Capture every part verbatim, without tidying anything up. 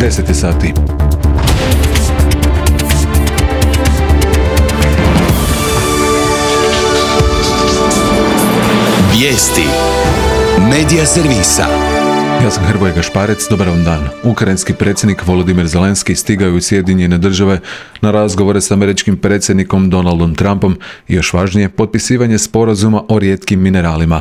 deset je sati. Vijesti Medija servisa. Ja sam Hrvoje Gašparec, dobar vam dan. Ukrajinski predsjednik Volodimir Zelenski stigao je u Sjedinjene države na razgovore s američkim predsjednikom Donaldom Trumpom i još važnije, potpisivanje sporazuma o rijetkim mineralima.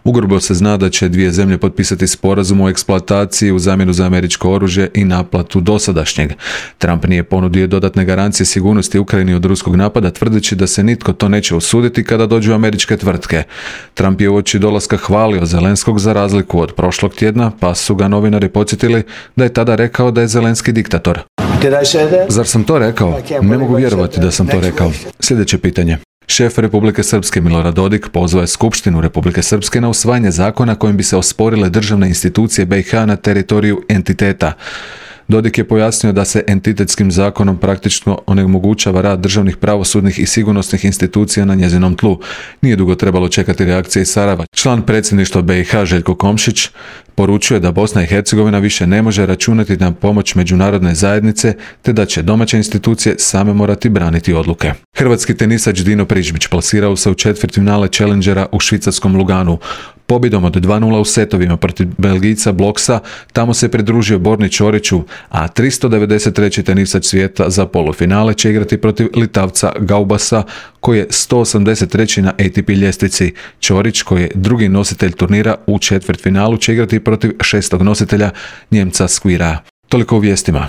Ugrubo se zna da će dvije zemlje potpisati sporazum o eksploataciji u zamjenu za američko oružje i naplatu dosadašnjeg. Trump nije ponudio dodatne garancije sigurnosti Ukrajini od ruskog napada, tvrdeći da se nitko to neće usuditi kada dođu američke tvrtke. Trump je uoči dolaska hvalio Zelenskog za razliku od prošlog tjedna, pa su ga novinari podsjetili da je tada rekao da je Zelenski diktator. Zar sam to rekao? Ne mogu vjerovati da sam to rekao. Sljedeće pitanje. Šef Republike Srpske Milorad Dodik pozvao je Skupštinu Republike Srpske na usvajanje zakona kojim bi se osporile državne institucije B i H na teritoriju entiteta. Dodik je pojasnio da se entitetskim zakonom praktično onemogućava rad državnih, pravosudnih i sigurnosnih institucija na njezinom tlu. Nije dugo trebalo čekati reakcije iz Sarajeva. Član predsjedništva B i H Željko Komšić poručuje da Bosna i Hercegovina više ne može računati na pomoć međunarodne zajednice, te da će domaće institucije same morati braniti odluke. Hrvatski tenisač Dino Prižmić plasirao se u četvrtfinale Challengera u švicarskom Luganu. Pobjedom od dva nula u setovima protiv Belgijca Bloksa tamo se pridružio Borni Ćoriću, a tristo devedeset treći tenisač svijeta za polufinale će igrati protiv Litavca Gaubasa, koji je sto osamdeset treći na A T P ljestvici. Ćorić, koji je drugi nositelj turnira u četvrtfinalu, će igrati protiv šestog nositelja Njemca Squira. Toliko u vijestima.